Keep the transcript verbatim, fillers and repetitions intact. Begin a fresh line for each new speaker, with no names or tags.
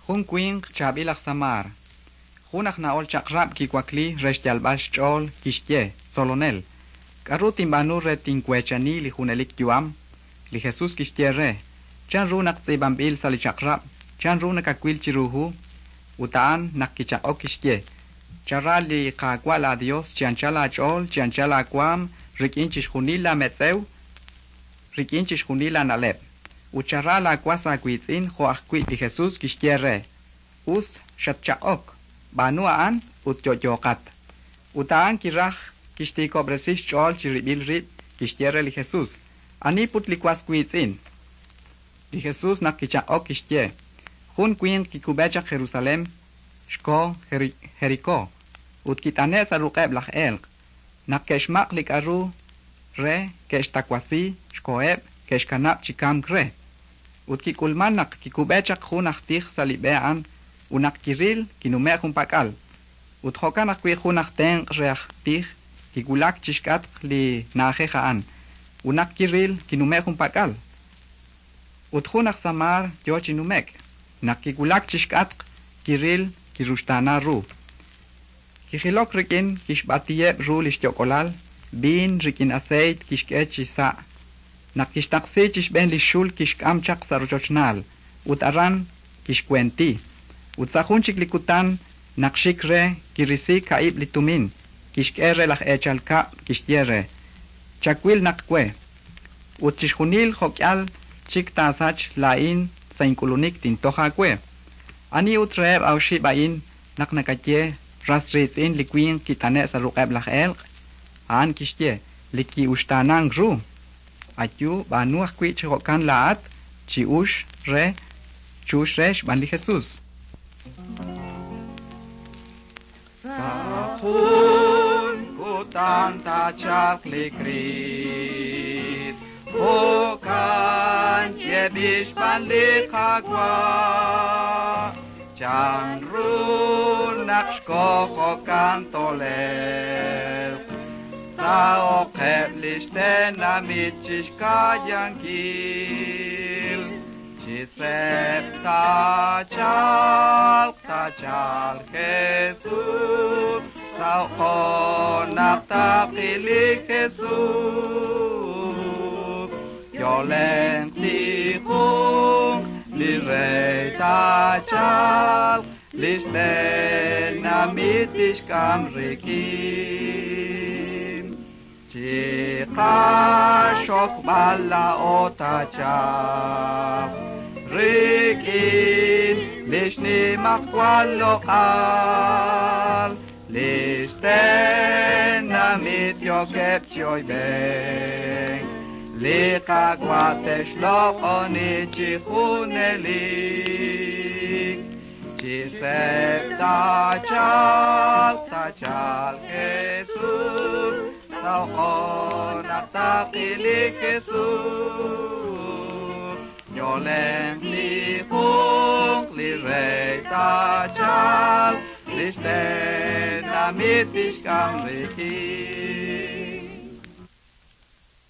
Jun winq chaab'il aj Samaar. Jun aj na'ol chaq'rab' kiwakli re xyalb'al xch'ool, kixye: Tzolonel, k'aru tinb'aanu re tinweechani li junelik yu'am? Li Jesus kixye re: Chanru naq tz'iib'anb'il sa' li Chaq'rab'? Chanru nakawil chiru hu? Ut a'an naq kichaq'ok kixye: Chara li Qaawa' laaYos chi anchal aach'ool, chi anchal aawaanm, rik'in chixjunil laametz'ew, rik'in chixjunil laana'leb'. Ut chara laawas aawiitz'in jo' ajwi'. Li Jesus kixye re: Us xatchaq'ok, b'aanu a'an ut yo'yooqat. Ut a'an kiraj kixtiikob'resi xch'ool chirib'il rib', kixye re li Jesus: Ani put li was wiitz'in? Li Jesus naq kichaq'ok kixye: Jun winq kikub'e chaq Jerusalén, xko Jerikó, ut kit'ane'k sa' ruq'eb' laj elq'. Naq ke'xmaq' li k'aru re, ke'xtawasi, xkoheb', ke'xkanab' chi kamk re. Ut kik'ulmank naq kikub'e chaq jun aj tij sa' li b'e a'an, ut naq kiril, kinume'k junpak'al. Ut jo'kan ajwi' jun aj tenq' re aj tij kiwulak chi xk'atq li na'ajej a'an, ut naq kiril, kinume'k junpak'al. Ut jun aj Samaar yo chi nume'k. Naq kiwulak chi xk'atq, kiril, kiruxtaana ru. Kijilok rik'in kixb'atiheb' ru li xyok'olal, viin rik'in aseeyt kixk'e chi sa'. Naq kixtaqsi chi xb'een li xul kixk'am chaq sa' rochochnaal, ut aran kixwenti. Ut sa' jun chik li kutan naq xik re kirisi ka'ib' li tumin, kixk'e re laj eechal kab', kixye re: Chawil naq we. Ut chixjunil jo'k'al chik taasach laa'in sa' ink'ulunik tintoj aawe. Ani ut reheb' oxib' a'in naq nakaye ras riitz'in li winq kit'ane'k sa' ruq'eb' laj elq'? A'an kixye: Li ki'uxtaanank ru. Ayu, b'aanu ajwi' chi jo'kan laa'at, chi'ux re, chux re xb'aan li Jesus.
Sa' jun kutan taachalq li Kriist, jo'kan yeeb'il xb'aan li Qaawa'. Chanru naq xko jo'kan tolelq, sa' oqeb' li xtenamit chi xka'yankil. Chi seeb' taachalq, taachalq Jesus, sa' oqo naq taqil li Jesus. Yo'lenq tijunq, li rey taachalq, li xtenamit tixk'am rik'in. Chiqaxokb'al laa'o taachalq, rik'in li xnimajwal loq'al, li xtenamit yookeb' chi oyb'enk, li Qaawa' te'xloq'oni chi junelik. Chi seeb' taachalq, taachalq Jesus, sa' oqo naq taqil li Jesus. Yo'lenq tijunq, li rey taachalq, li xtenamit tixk'am rik'in.